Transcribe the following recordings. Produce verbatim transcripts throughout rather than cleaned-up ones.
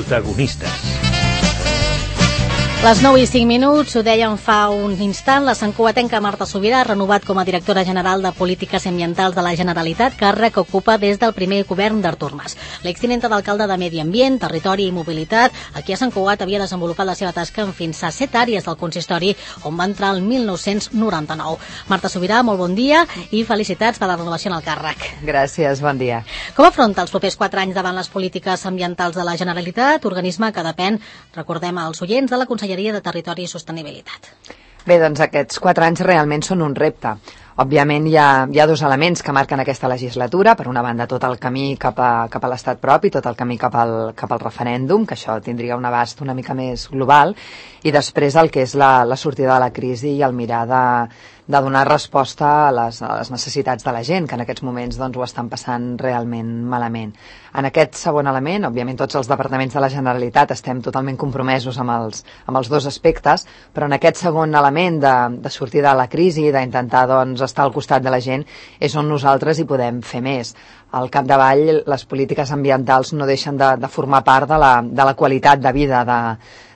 Protagonistes. Les nou i cinc minuts, ho dèiem fa un instant, la santcugatenca Marta Subirà ha renovat com a directora general de Polítiques Ambientals de la Generalitat, càrrec que ocupa des del primer govern d'Artur Mas. L'extinent d'alcalde de Medi Ambient, Territori i Mobilitat, aquí a Sant Cugat havia desenvolupat la seva tasca en fins a set àrees del consistori, on va entrar el mil nou-cents noranta-nou. Marta Subirà, molt bon dia i felicitats per la renovació en el càrrec. Gràcies, bon dia. Com afronta els propers quatre anys davant les polítiques ambientals de la Generalitat, organisme que depèn, recordem als oients, de la Conselleria de Territori i Sostenibilitat? Bé, doncs aquests quatre anys realment són un repte. Òbviament hi ha, hi ha dos elements que marquen aquesta legislatura. Per una banda, tot el camí cap a, cap a l'estat propi, tot el camí cap al, cap al referèndum, que això tindria un abast una mica més global, i després el que és la, la sortida de la crisi i el mirar de, de donar resposta a les, a les necessitats de la gent, que en aquests moments doncs, ho estan passant realment malament. En aquest segon element, òbviament tots els departaments de la Generalitat estem totalment compromesos amb els, amb els dos aspectes, però en aquest segon element de, de sortir de la crisi, d'intentar doncs, estar al costat de la gent, és on nosaltres hi podem fer més. Al capdavall, les polítiques ambientals no deixen de, de formar part de la, de la qualitat de vida de,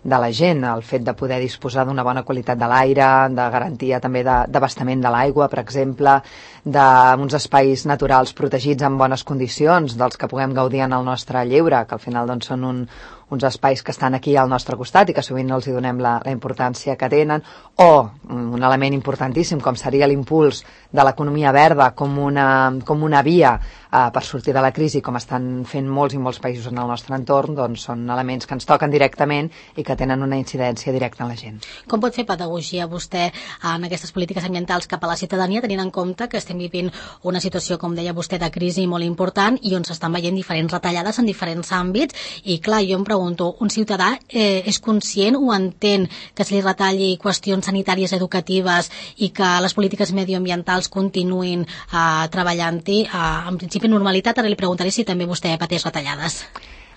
de la gent, el fet de poder disposar d'una bona qualitat de l'aire, de garantia també d'abastament de, de l'aigua, per exemple, d'uns espais naturals protegits en bones condicions, dels que puguem gaudir en el nostre lleure, que al final doncs, són un, uns espais que estan aquí al nostre costat i que sovint no els hi donem la, la importància que tenen, o un element importantíssim com seria l'impuls de l'economia verda com una, com una via eh, per sortir de la crisi, com estan fent molts i molts països en el nostre entorn, doncs són elements que ens toquen directament i que tenen una incidència directa en la gent. Com pot fer pedagogia vostè en aquestes polítiques ambientals cap a la ciutadania, tenint en compte que estem vivint una situació, com deia vostè, de crisi molt important i on s'estan veient diferents retallades en diferents àmbits i, clar, jo em pregunto, un ciutadà eh, és conscient o entén que se li retalli qüestions sanitàries educatives i que les polítiques medioambientals continuïn eh, treballant-hi eh, en principi normalitat? Ara li preguntaré si també vostè pateix retallades.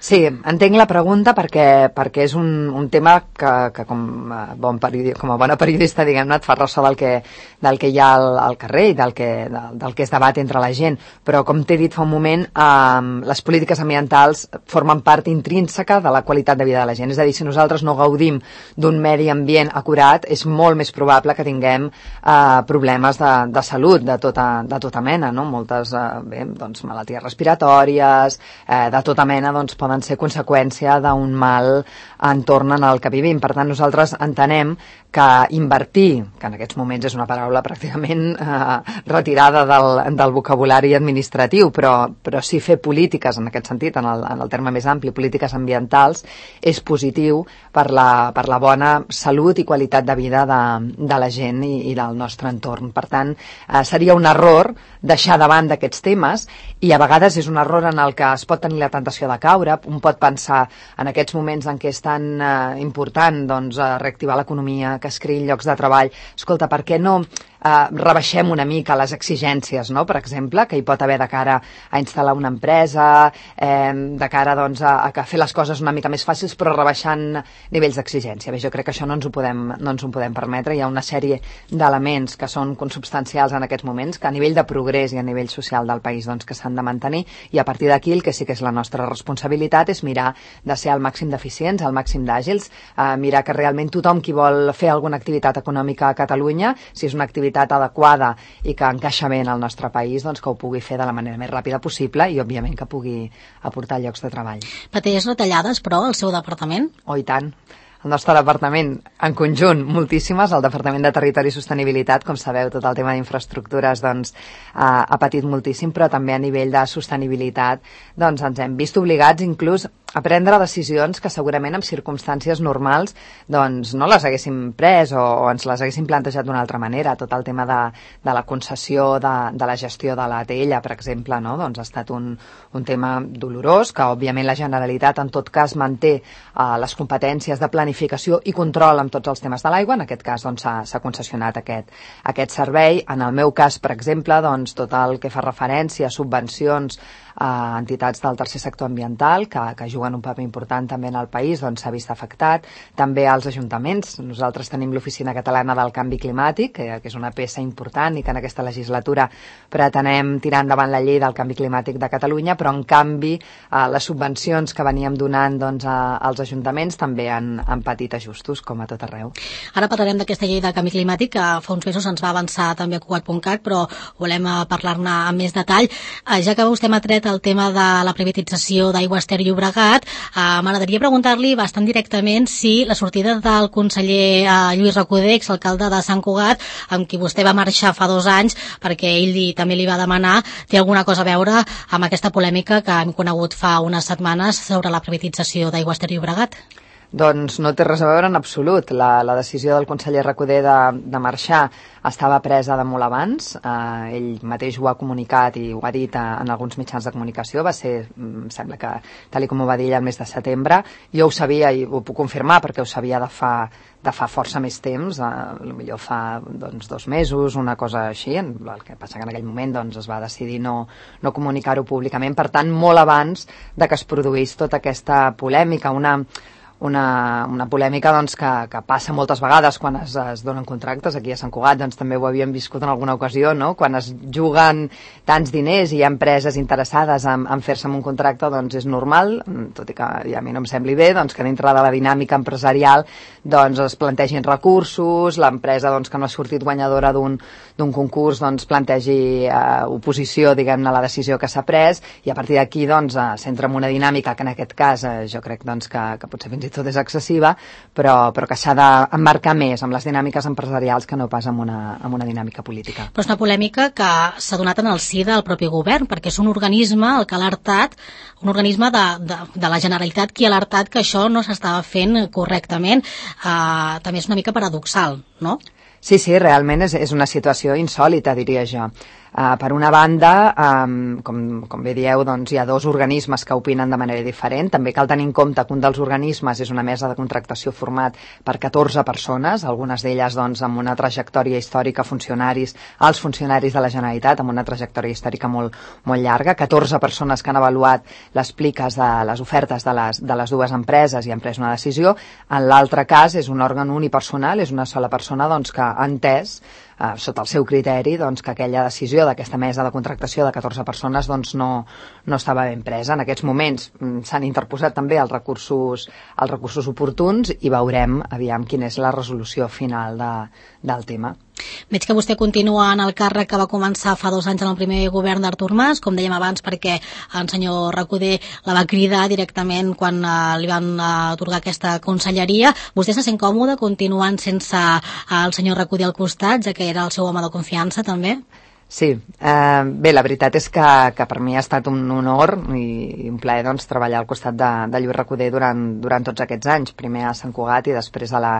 Sí, entenc la pregunta perquè, perquè és un, un tema que, que com, a bon periodi, com a bona periodista, diguem-ne, et fa ressò del que, del que hi ha al, al carrer i del que, del, del que és debat entre la gent. Però, com t'he dit fa un moment, eh, les polítiques ambientals formen part intrínseca de la qualitat de vida de la gent. És a dir, si nosaltres no gaudim d'un medi ambient acurat, és molt més probable que tinguem eh, problemes de, de salut de tota, de tota mena, no? Moltes eh, bé, doncs, malalties respiratòries, eh, de tota mena, doncs, poden ser conseqüència d'un mal entorn en el que vivim. Per tant, nosaltres entenem que invertir, que en aquests moments és una paraula pràcticament eh, retirada del, del vocabulari administratiu, però, però sí fer polítiques, en aquest sentit, en el, en el terme més ampli, polítiques ambientals, és positiu per la, per la bona salut i qualitat de vida de, de la gent i, i del nostre entorn. Per tant, eh, seria un error deixar davant d'aquests temes i a vegades és un error en el que es pot tenir la tentació de caure. Un pot pensar en aquests moments en què és tan eh, important doncs, eh, reactivar l'economia, que es creïn llocs de treball. Escolta, per què no eh, rebaixem una mica les exigències, no? Per exemple, que hi pot haver de cara a instal·lar una empresa, eh, de cara doncs, a, a fer les coses una mica més fàcils, però rebaixant nivells d'exigència. Bé, jo crec que això no ens ho podem, no ens ho podem permetre. Hi ha una sèrie d'elements que són consubstancials en aquests moments, que a nivell de progrés i a nivell social del país doncs, que s'han de mantenir, i a partir d'aquí el que sí que és la nostra responsabilitat és mirar de ser al màxim d'eficients, al màxim d'àgils, eh, mirar que realment tothom qui vol fer alguna activitat econòmica a Catalunya, si és una activitat adequada i que encaixa bé en el nostre país, doncs que ho pugui fer de la manera més ràpida possible i, òbviament, que pugui aportar llocs de treball. Pateix retallades, però, al seu departament? Oh, i tant. El nostre departament, en conjunt, moltíssimes. El Departament de Territori i Sostenibilitat, com sabeu, tot el tema d'infraestructures doncs, ha, ha patit moltíssim, però també a nivell de sostenibilitat doncs, ens hem vist obligats inclús a prendre decisions que segurament en circumstàncies normals doncs, no les haguéssim pres o, o ens les haguéssim plantejat d'una altra manera. Tot el tema de, de la concessió de, de la gestió de l'A T L, per exemple, no? Doncs ha estat un, un tema dolorós, que òbviament la Generalitat en tot cas manté eh, les competències de planificació i control amb tots els temes de l'aigua. En aquest cas doncs, s'ha doncs, concessionat aquest, aquest servei. En el meu cas, per exemple, doncs, tot el que fa referència a subvencions uh, entitats del tercer sector ambiental que, que juguen un paper important també en el país, doncs s'ha vist afectat. També els ajuntaments. Nosaltres tenim l'Oficina Catalana del Canvi Climàtic, que, que és una peça important i que en aquesta legislatura pretenem tirar endavant la llei del canvi climàtic de Catalunya, però en canvi uh, les subvencions que veníem donant doncs, a, als ajuntaments també han, han patit ajustos, com a tot arreu. Ara parlarem d'aquesta llei de canvi climàtic, que fa uns mesos ens va avançar també a Cugat punt cat, però volem parlar-ne amb més detall. Ja que vostè m'ha tret el tema de la privatització d'Aigües Ter Llobregat, m'agradaria preguntar-li bastant directament si la sortida del conseller Lluís Recoder, exalcalde de Sant Cugat, amb qui vostè va marxar fa dos anys perquè ell li, també li va demanar, té alguna cosa a veure amb aquesta polèmica que hem conegut fa unes setmanes sobre la privatització d'Aigües Ter Llobregat? Doncs no té res a veure en absolut. La, la decisió del conseller Recoder de, de marxar estava presa de molt abans. Eh, ell mateix ho ha comunicat i ho ha dit a, en alguns mitjans de comunicació. Va ser, em sembla que, tal com ho va dir ell, el mes de setembre. Jo ho sabia i ho puc confirmar perquè ho sabia de fa, de fa força més temps, eh, potser fa doncs, dos mesos, una cosa així. El que passa que en aquell moment doncs, es va decidir no, no comunicar-ho públicament. Per tant, molt abans de que es produís tota aquesta polèmica, una... Una, una polèmica doncs, que, que passa moltes vegades quan es, es donen contractes. Aquí a Sant Cugat doncs, també ho havíem viscut en alguna ocasió, no? Quan es juguen tants diners i hi ha empreses interessades en, en fer-se amb un contracte, doncs és normal, tot i que ja a mi no em sembli bé, doncs, que dintre de la dinàmica empresarial doncs, es plantegin recursos, l'empresa doncs, que no ha sortit guanyadora d'un d'un concurs doncs, plantegi eh, oposició diguem-ne a la decisió que s'ha pres, i a partir d'aquí doncs, eh, s'entra en una dinàmica que en aquest cas eh, jo crec doncs, que, que potser fins i tot és excessiva, però, però que s'ha d'embarcar més amb les dinàmiques empresarials que no pas amb una, amb una dinàmica política. Però és una polèmica que s'ha donat en el si del propi govern, perquè és un organisme el que ha alertat, un organisme de, de, de la Generalitat qui ha alertat que això no s'estava fent correctament. Uh, també és una mica paradoxal, no? Sí, sí, realment és, és una situació insòlita, diria jo. Uh, per una banda, um, com, com bé dieu, doncs, hi ha dos organismes que opinen de manera diferent. També cal tenir en compte que un dels organismes és una mesa de contractació format per catorze persones, algunes d'elles doncs, amb una trajectòria històrica, funcionaris, els funcionaris de la Generalitat, amb una trajectòria històrica molt, molt llarga, catorze persones que han avaluat les pliques de les ofertes de les, de les dues empreses i han pres una decisió. En l'altre cas és un òrgan unipersonal, és una sola persona doncs, que ha entès Uh, sota el seu criteri, doncs, que aquella decisió d'aquesta mesa de contractació de catorze persones doncs, no, no estava ben presa. En aquests moments mm, s'han interposat també els recursos, els recursos oportuns i veurem aviam quina és la resolució final de, del tema. Veig que vostè continua en el càrrec que va començar fa dos anys en el primer govern d'Artur Mas, com dèiem abans, perquè el senyor Recoder la va cridar directament quan uh, li van uh, atorgar aquesta conselleria. Vostè se sent còmode continuant sense uh, el senyor Recoder al costat, ja que era el seu home de confiança també? Sí, eh, bé, la veritat és que, que per mi ha estat un honor i, i un plaer doncs, treballar al costat de, de Lluís Recoder durant, durant tots aquests anys, primer a Sant Cugat i després a la,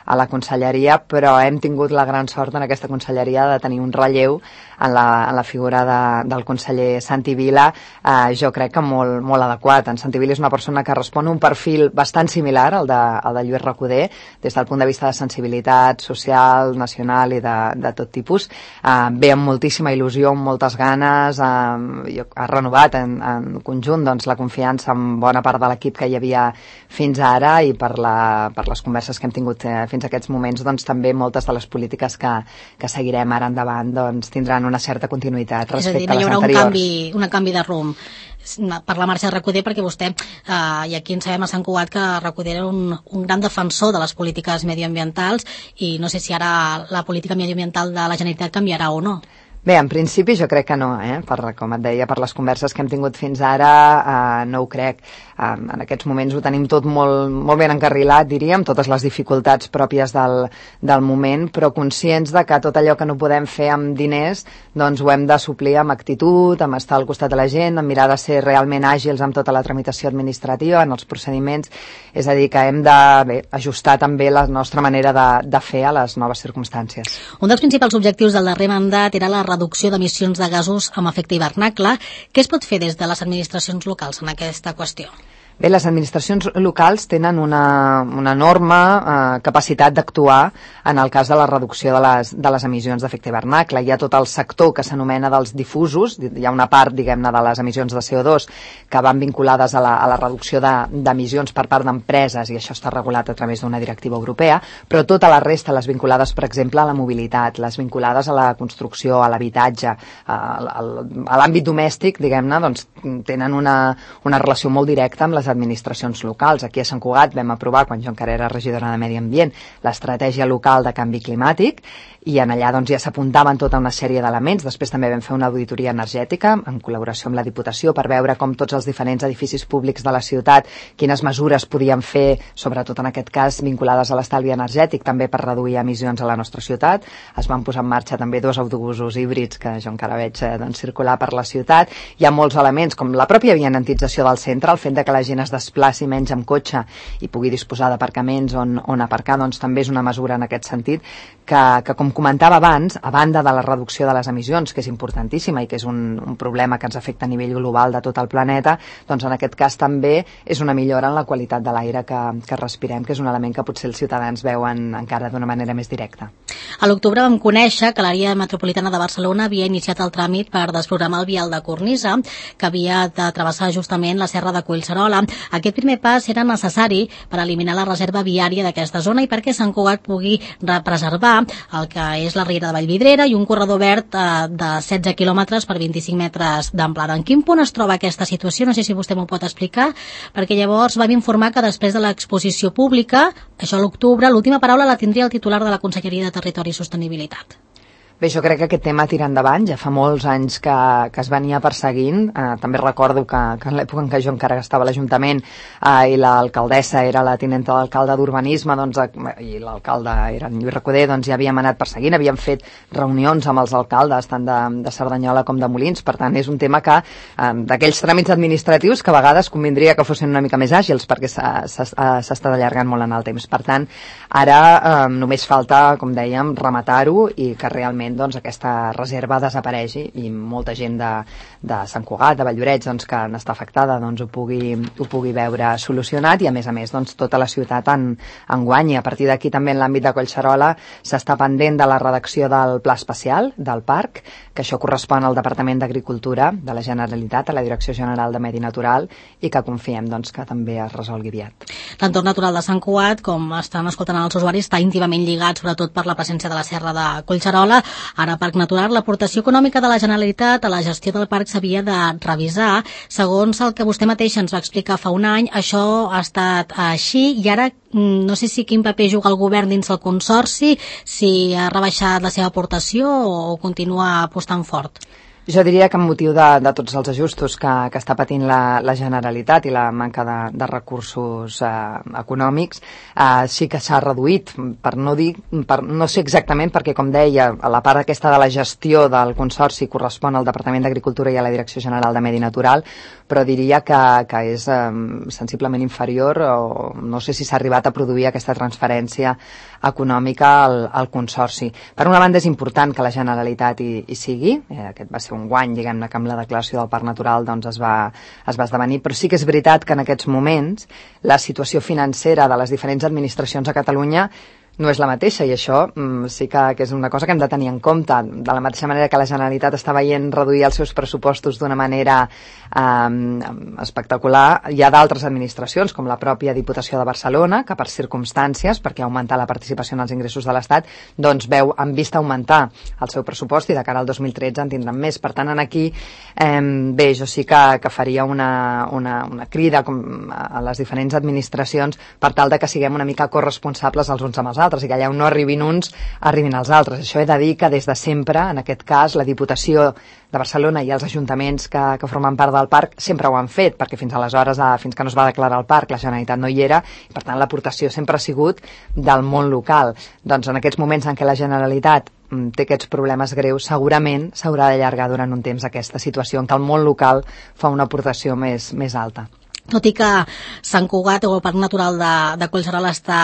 a la conselleria, però hem tingut la gran sort en aquesta conselleria de tenir un relleu en la, en la figura de, del conseller Santi Vila, eh, jo crec que molt, molt adequat. En Santi Vila és una persona que respon a un perfil bastant similar al de, al de Lluís Recoder, des del punt de vista de sensibilitat social, nacional i de, de tot tipus. Eh, ve amb moltíssima il·lusió, amb moltes ganes, eh, ha renovat en, en conjunt doncs, la confiança amb bona part de l'equip que hi havia fins ara, i per, la, per les converses que hem tingut eh, fins a aquests moments, doncs també moltes de les polítiques que, que seguirem ara endavant doncs, tindran una certa continuïtat respecte a les anteriors. És a dir, no hi haurà un canvi, un canvi de rumb per la marxa de Recoder, perquè vostè, eh, i aquí en sabem a Sant Cugat que Recoder era un, un gran defensor de les polítiques medioambientals, i no sé si ara la política medioambiental de la Generalitat canviarà o no. Bé, en principi jo crec que no, eh? per, com et deia, per les converses que hem tingut fins ara, eh, no ho crec. Eh, en aquests moments ho tenim tot molt, molt ben encarrilat, diríem, totes les dificultats pròpies del, del moment, però conscients de que tot allò que no podem fer amb diners, doncs ho hem de suplir amb actitud, amb estar al costat de la gent, amb mirar de ser realment àgils amb tota la tramitació administrativa, en els procediments, és a dir, que hem de bé, ajustar també la nostra manera de, de fer a les noves circumstàncies. Un dels principals objectius del darrer mandat era la reducció d'emissions de gasos amb efecte hivernacle. Què es pot fer des de les administracions locals en aquesta qüestió? Bé, les administracions locals tenen una, una enorme eh, capacitat d'actuar en el cas de la reducció de les, de les emissions d'efecte hivernacle. Hi ha tot el sector que s'anomena dels difusos, hi ha una part, diguem-ne, de les emissions de C O dos que van vinculades a la, a la reducció d'emissions per part d'empreses, i això està regulat a través d'una directiva europea, però tota la resta, les vinculades, per exemple, a la mobilitat, les vinculades a la construcció, a l'habitatge, a, a, a l'àmbit domèstic, diguem-ne, doncs tenen una, una relació molt directa amb les administracions locals. Aquí a Sant Cugat vam aprovar, quan jo encara era regidora de Medi Ambient, l'estratègia local de canvi climàtic, i en allà doncs, ja s'apuntaven tota una sèrie d'elements. Després també vam fer una auditoria energètica en col·laboració amb la Diputació per veure com tots els diferents edificis públics de la ciutat, quines mesures podien fer, sobretot en aquest cas vinculades a l'estalvi energètic, també per reduir emissions a la nostra ciutat. Es van posar en marxa també dos autobusos híbrids que jo encara veig eh, doncs, circular per la ciutat. Hi ha molts elements, com la pròpia vianantització del centre, el fet de que la gent es desplaci menys amb cotxe i pugui disposar d'aparcaments on, on aparcar, doncs també és una mesura en aquest sentit que, que com comentava abans, a banda de la reducció de les emissions, que és importantíssima i que és un, un problema que ens afecta a nivell global de tot el planeta, doncs en aquest cas també és una millora en la qualitat de l'aire que, que respirem, que és un element que potser els ciutadans veuen encara d'una manera més directa. A l'octubre vam conèixer que l'àrea metropolitana de Barcelona havia iniciat el tràmit per desprogramar el vial de cornisa, que havia de travessar justament la serra de Collserola. Aquest primer pas era necessari per eliminar la reserva viària d'aquesta zona i perquè Sant Cugat pugui preservar el que és la riera de Vallvidrera i un corredor verd eh, de setze quilòmetres per vint-i-cinc metres d'amplada. En quin punt es troba aquesta situació? No sé si vostè m'ho pot explicar, perquè llavors vam informar que després de l'exposició pública, això a l'octubre, l'última paraula la tindria el titular de la Conselleria de Territori i Sostenibilitat. Bé, jo crec que aquest tema tira endavant, ja fa molts anys que, que es venia perseguint. Eh, també recordo que, que en l'època en què jo encara estava a l'Ajuntament eh, i l'alcaldessa era la tinenta d'alcalde d'Urbanisme, doncs, eh, i l'alcalde era en Lluís Recoder, doncs ja havíem anat perseguint, havíem fet reunions amb els alcaldes, tant de, de Cerdanyola com de Molins. Per tant, és un tema que, eh, d'aquells tràmits administratius que a vegades convindria que fossin una mica més àgils, perquè s'ha estat allargant molt en el temps. Per tant, ara eh, només falta, com dèiem, rematar-ho i que realment doncs, aquesta reserva desapareixi i molta gent de, de Sant Cugat, de Valldoreix, doncs, que n'està afectada, doncs, ho, pugui, ho pugui veure solucionat i, a més a més, doncs, tota la ciutat en, en guanyi. A partir d'aquí, també en l'àmbit de Collserola, s'està pendent de la redacció del Pla Especial del parc, que això correspon al Departament d'Agricultura de la Generalitat, a la Direcció General de Medi Natural, i que confiem doncs, que també es resolgui aviat. L'entorn natural de Sant Cugat, com estan escoltant els usuaris, està íntimament lligat, sobretot per la presència de la serra de Collserola. Ara, Parc Natural, l'aportació econòmica de la Generalitat a la gestió del parc s'havia de revisar. Segons el que vostè mateix ens va explicar fa un any, això ha estat així i ara no sé si quin paper juga el govern dins el consorci, si ha rebaixat la seva aportació o continua apostant fort. Jo diria que amb motiu de, de tots els ajustos que, que està patint la, la Generalitat i la manca de, de recursos eh, econòmics, eh, sí que s'ha reduït, per no dir, per, no sé exactament, perquè com deia, la part aquesta de la gestió del consorci correspon al Departament d'Agricultura i a la Direcció General de Medi Natural, però diria que, que és eh, sensiblement inferior, o no sé si s'ha arribat a produir aquesta transferència econòmica al, al consorci. Per una banda és important que la Generalitat hi, hi sigui, eh, aquest va ser un guany, diguem-ne, que amb la declaració del Parc Natural doncs, es, va, es va esdevenir, però sí que és veritat que en aquests moments la situació financera de les diferents administracions a Catalunya no és la mateixa i això mm, sí que, que és una cosa que hem de tenir en compte. De la mateixa manera que la Generalitat està veient reduir els seus pressupostos d'una manera eh, espectacular, hi ha d'altres administracions, com la pròpia Diputació de Barcelona, que per circumstàncies, perquè ha augmentat la participació en els ingressos de l'Estat, doncs veu, han vist augmentar el seu pressupost i de cara al dos mil tretze en tindran més. Per tant, aquí, eh, bé, jo sí que, que faria una, una, una crida com a les diferents administracions per tal de que siguem una mica corresponsables els uns amb els altres, i que allà on no arribin uns, arribin els altres. Això he de dir que des de sempre, en aquest cas, la Diputació de Barcelona i els ajuntaments que, que formen part del parc sempre ho han fet, perquè fins aleshores, fins que no es va declarar el parc, la Generalitat no hi era, i per tant l'aportació sempre ha sigut del món local. Doncs en aquests moments en què la Generalitat té aquests problemes greus, segurament s'haurà d'allargar durant un temps aquesta situació en què el món local fa una aportació més, més alta. tot i que Sant Cugat o el Parc Natural de, de Collserola està,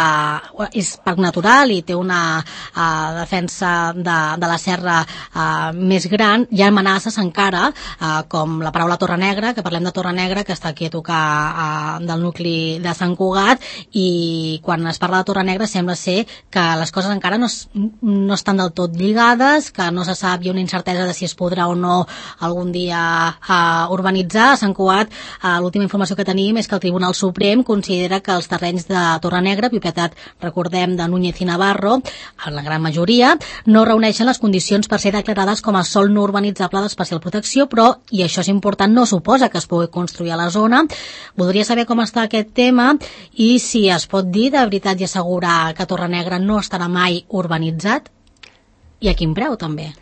és parc natural i té una uh, defensa de, de la serra uh, més gran, hi ha amenaces encara, uh, com la paraula Torre Negra, que parlem de Torre Negra, que està aquí a tocar uh, del nucli de Sant Cugat, i quan es parla de Torre Negra sembla ser que les coses encara no, es, no estan del tot lligades, que no se sap, hi ha una incertesa de si es podrà o no algun dia uh, urbanitzar. A Sant Cugat, uh, l'última informació que tenim tenim és que el Tribunal Suprem considera que els terrenys de Torre Negra, propietat, recordem, de Núñez i Navarro, en la gran majoria, no reuneixen les condicions per ser declarades com a sòl no urbanitzable d'especial protecció, però, i això és important, no suposa que es pugui construir a la zona. Voldria saber com està aquest tema i si es pot dir de veritat i assegurar que Torre Negra no estarà mai urbanitzat i a quin preu també.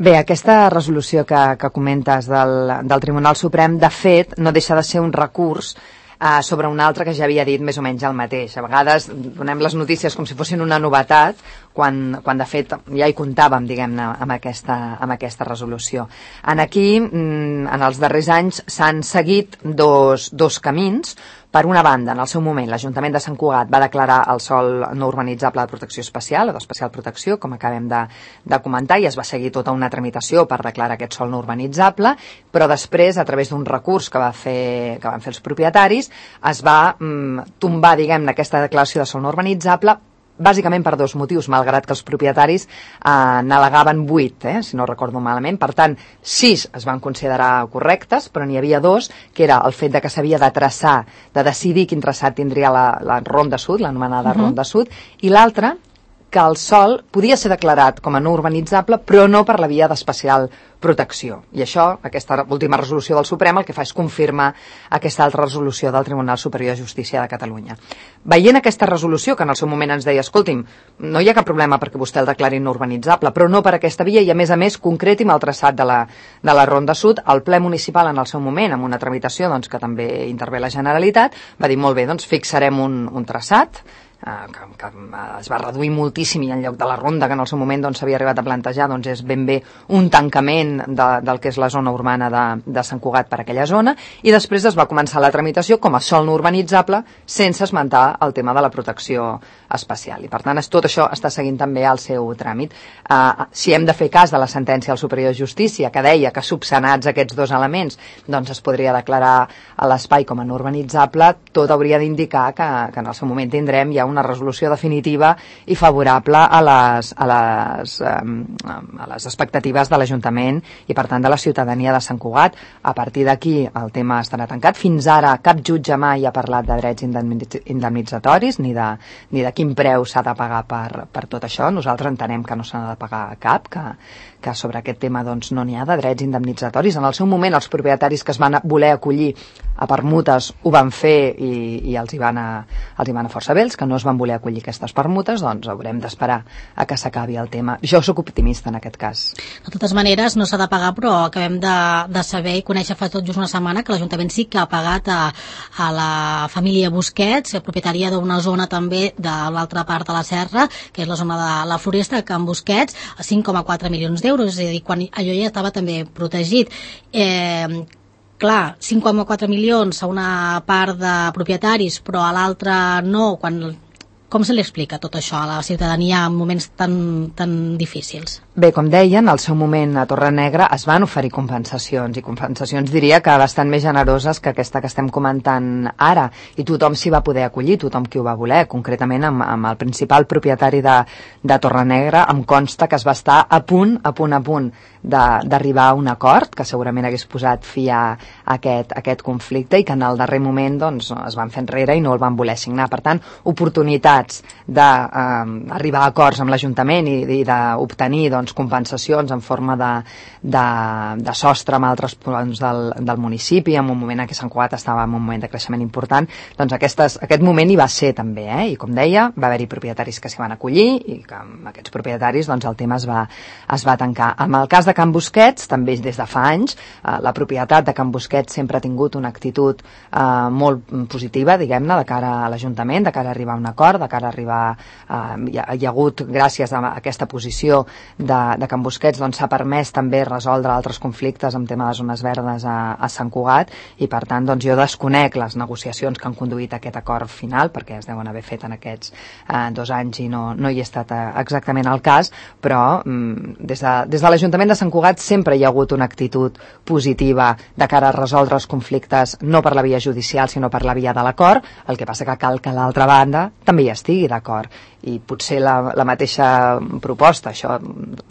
Bé, aquesta resolució que, que comentes del, del Tribunal Suprem, de fet, no deixa de ser un recurs eh, sobre un altre que ja havia dit més o menys el mateix. A vegades donem les notícies com si fossin una novetat, quan, quan de fet ja hi comptàvem, diguem-ne, amb aquesta, amb aquesta resolució. En aquí, en els darrers anys, s'han seguit dos, dos camins. Per una banda, en el seu moment, l'Ajuntament de Sant Cugat va declarar el sòl no urbanitzable de protecció especial o d'especial protecció, com acabem de, de comentar, i es va seguir tota una tramitació per declarar aquest sòl no urbanitzable, però després, a través d'un recurs que, va fer, que van fer els propietaris, es va mm, tombar, diguem-ne, aquesta declaració de sòl no urbanitzable, bàsicament per dos motius, malgrat que els propietaris eh, n'al·legaven vuit, eh, si no recordo malament. Per tant, sis es van considerar correctes, però n'hi havia dos, que era el fet de que s'havia de traçar, de decidir quin traçat tindria la, la Ronda Sud, l'anomenada uh-huh. Ronda Sud, i l'altra, que el sòl podia ser declarat com a no urbanitzable, però no per la via d'especial protecció. I això, aquesta última resolució del Suprem, el que fa és confirmar aquesta altra resolució del Tribunal Superior de Justícia de Catalunya. Veient aquesta resolució, que en el seu moment ens deia, escolti'm, no hi ha cap problema perquè vostè el declari no urbanitzable, però no per aquesta via, i a més a més concreti'm el traçat de la, de la Ronda Sud, el ple municipal en el seu moment, amb una tramitació doncs, que també intervé la Generalitat, va dir, molt bé, doncs fixarem un, un traçat, Que, que es va reduir moltíssim, i en lloc de la ronda que en el seu moment doncs, s'havia arribat a plantejar, doncs és ben bé un tancament de, del que és la zona urbana de, de Sant Cugat per aquella zona, i després es va començar la tramitació com a sòl no urbanitzable sense esmentar el tema de la protecció especial, i per tant tot això està seguint també el seu tràmit. Uh, si hem de fer cas de la sentència del Superior de Justícia que deia que subsanats aquests dos elements doncs es podria declarar a l'espai com a no urbanitzable, tot hauria d'indicar que, que en el seu moment tindrem ja una resolució definitiva i favorable a les, a les, a les expectatives de l'Ajuntament i per tant de la ciutadania de Sant Cugat. A partir d'aquí el tema estarà tancat. Fins ara cap jutge mai ha parlat de drets indemnitzatoris ni de, ni de quin preu s'ha de pagar per, per tot això. Nosaltres entenem que no s'ha de pagar cap, que, que sobre aquest tema doncs, no n'hi ha de drets indemnitzatoris. En el seu moment els propietaris que es van voler acollir a permutes ho van fer i, i els hi van a, els hi van a força bé. Els que no es van voler acollir aquestes permutes, doncs haurem d'esperar a que s'acabi el tema. Jo sóc optimista en aquest cas. De totes maneres, no s'ha de pagar, però acabem de, de saber i conèixer fa tot just una setmana que l'Ajuntament sí que ha pagat a, a la família Busquets, propietària d'una zona també de l'altra part de la serra, que és la zona de la Floresta, de Can Busquets, a cinc coma quatre milions d'euros, és a dir, quan allò ja estava també protegit. Eh, clar, cinc coma quatre milions a una part de propietaris, però a l'altra no, quan... Com se li explica tot això a la ciutadania en moments tan, tan difícils? Bé, com deien, al seu moment a Torre Negra es van oferir compensacions, i compensacions diria que bastant més generoses que aquesta que estem comentant ara, i tothom s'hi va poder acollir, tothom qui ho va voler, concretament amb, amb el principal propietari de, de Torre Negra. Em consta que es va estar a punt, a punt, a punt d'arribar a un acord, que segurament hagués posat fi a aquest, a aquest conflicte, i que en el darrer moment doncs, es van fer enrere i no el van voler signar. Per tant, oportunitats d'arribar eh, a acords amb l'Ajuntament i, i d'obtenir doncs, compensacions en forma de, de, de sostre amb altres punts del, del municipi, en un moment en què Sant Cugat estava en un moment de creixement important, doncs aquestes, aquest moment hi va ser també, eh? I com deia, va haver-hi propietaris que s'hi van acollir i que amb aquests propietaris doncs, el tema es va, es va tancar. En el cas de Can Busquets, també des de fa anys, eh, la propietat de Can Busquets sempre ha tingut una actitud eh, molt positiva, diguem-ne, de cara a l'Ajuntament, de cara a arribar a un acord, de cara a arribar... Eh, hi, ha, hi ha hagut, gràcies a aquesta posició de de, de Can Busquets doncs, s'ha permès també resoldre altres conflictes amb tema de zones verdes a, a Sant Cugat i per tant doncs, jo desconec les negociacions que han conduït a aquest acord final perquè es deuen haver fet en aquests eh, dos anys i no, no hi ha estat eh, exactament el cas, però mm, des de, des de l'Ajuntament de Sant Cugat sempre hi ha hagut una actitud positiva de cara a resoldre els conflictes no per la via judicial sinó per la via de l'acord, el que passa que cal que l'altra banda també hi estigui d'acord i potser la, la mateixa proposta, això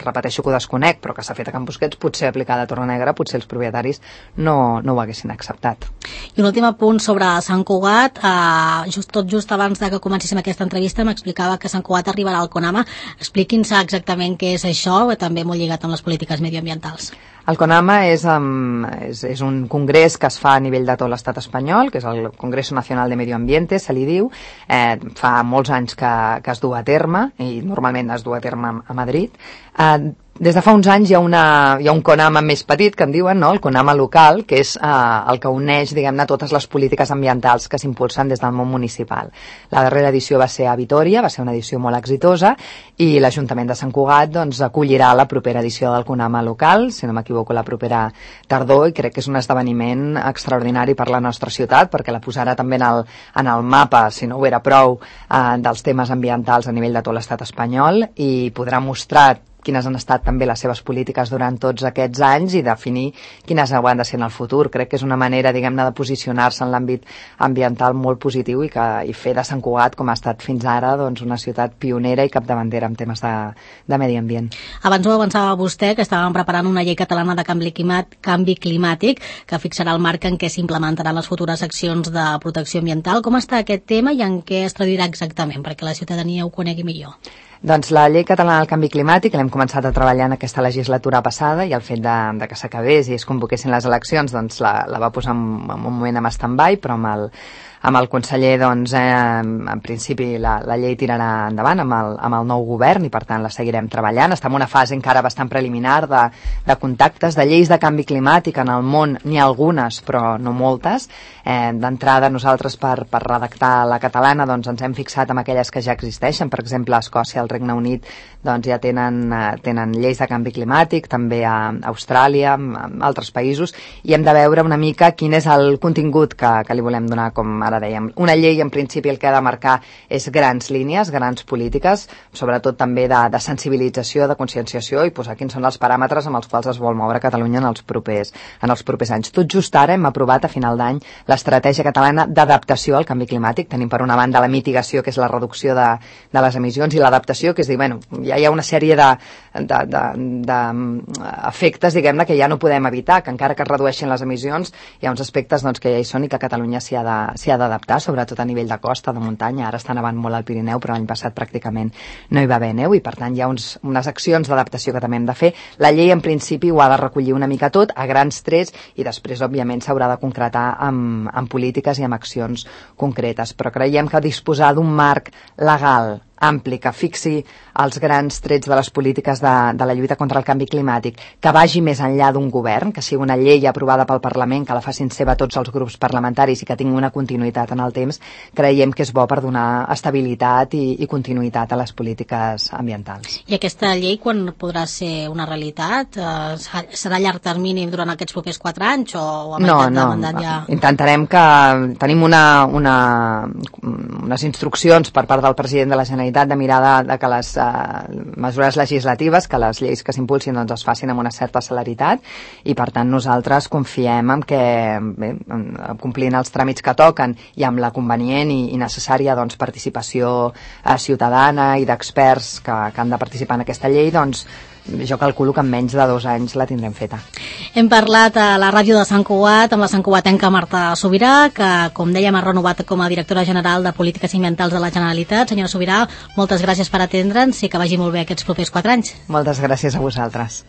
repeteixo que ho desconec, però que s'ha fet a Can Busquets, potser aplicada a Torrenegra, potser els propietaris no, no ho haguessin acceptat. I un últim apunt sobre Sant Cugat, eh, just, tot just abans de que comencéssim aquesta entrevista m'explicava que Sant Cugat arribarà al CONAMA. Expliqui'ns exactament què és això, també molt lligat amb les polítiques medioambientals. El CONAMA és, um, és, és un congrés que es fa a nivell de tot l'estat espanyol, que és el Congreso Nacional de Medio Ambiente, se li diu. Eh, fa molts anys que, que es du a terme, i normalment es du a terme a Madrid. Eh, Des de fa uns anys hi ha, una, hi ha un CONAMA més petit, que en diuen, no? El CONAMA local, que és eh, el que uneix, diguem-ne, totes les polítiques ambientals que s'impulsen des del món municipal. La darrera edició va ser a Vitòria, va ser una edició molt exitosa, i l'Ajuntament de Sant Cugat doncs, acollirà la propera edició del CONAMA local, si no m'equivoco la propera tardor, i crec que és un esdeveniment extraordinari per la nostra ciutat, perquè la posarà també en el, en el mapa, si no ho era prou, eh, dels temes ambientals a nivell de tot l'estat espanyol, i podrà mostrar quines han estat també les seves polítiques durant tots aquests anys i definir quines hauran de ser en el futur. Crec que és una manera, diguem-ne, de posicionar-se en l'àmbit ambiental molt positiu i, que, i fer de Sant Cugat, com ha estat fins ara, doncs, una ciutat pionera i capdavantera en temes de, de medi ambient. Abans ho avançava vostè, que estàvem preparant una llei catalana de canvi, climat, canvi climàtic que fixarà el marc en què s'implementaran les futures accions de protecció ambiental. Com està aquest tema i en què es traduirà exactament, perquè la ciutadania ho conegui millor? Doncs la llei catalana del canvi climàtic l'hem començat a treballar en aquesta legislatura passada i el fet de, de que s'acabés i es convoquessin les eleccions doncs la, la va posar en, en un moment en stand-by, però amb el, amb el conseller doncs, eh, en principi la, la llei tirarà endavant amb el, amb el nou govern i per tant la seguirem treballant. Estem en una fase encara bastant preliminar de, de contactes, de lleis de canvi climàtic en el món, n'hi ha algunes però no moltes. Eh, d'entrada nosaltres per, per redactar la catalana doncs ens hem fixat en aquelles que ja existeixen, per exemple a Escòcia, al Regne Unit doncs ja tenen, eh, tenen lleis de canvi climàtic, també a Austràlia, a altres països, i hem de veure una mica quin és el contingut que, que li volem donar, com ara dèiem. Una llei en principi el que ha de marcar és grans línies, grans polítiques, sobretot també de, de sensibilització, de conscienciació i posar quins són els paràmetres amb els quals es vol moure Catalunya en els propers, en els propers anys. Tot just ara hem aprovat a final d'any l'estratègia catalana d'adaptació al canvi climàtic. Tenim per una banda la mitigació, que és la reducció de, de les emissions, i l'adaptació, que és dir, bueno, ja hi ha una sèrie de, de, de, de efectes, diguem-ne, que ja no podem evitar, que encara que es redueixin les emissions, hi ha uns aspectes doncs, que ja hi són i que Catalunya s'hi ha de, s'hi ha d'adaptar, sobretot a nivell de costa, de muntanya. Ara està nevant molt al Pirineu, però l'any passat pràcticament no hi va haver neu i per tant hi ha uns, unes accions d'adaptació que també hem de fer. La llei en principi ho ha de recollir una mica tot, a grans trets, i després òbviament s'haurà de concretar amb, amb polítiques i amb accions concretes, però creiem que disposar d'un marc legal ampli, que fixi els grans trets de les polítiques de, de la lluita contra el canvi climàtic, que vagi més enllà d'un govern, que sigui una llei aprovada pel Parlament, que la facin seva tots els grups parlamentaris i que tingui una continuïtat en el temps, creiem que és bo per donar estabilitat i, i continuïtat a les polítiques ambientals. I aquesta llei quan podrà ser una realitat? Eh, serà a llarg termini durant aquests propers quatre anys o a no, meitat no, de mandat ja? Intentarem que tenim una, una, unes instruccions per part del president de la Generalitat de mirar de, de que les uh, mesures legislatives, que les lleis que s'impulsin doncs, es facin amb una certa celeritat i per tant nosaltres confiem en que bé, complint els tràmits que toquen i amb la convenient i, i necessària doncs, participació uh, ciutadana i d'experts que, que han de participar en aquesta llei, doncs jo calculo que en menys de dos anys la tindrem feta. Hem parlat a la ràdio de Sant Cugat amb la santcugatenca Marta Subirà, que com dèiem ha renovat com a directora general de Polítiques Ambientals de la Generalitat. Senyora Subirà, moltes gràcies per atendre'ns i que vagi molt bé aquests propers quatre anys. Moltes gràcies a vosaltres.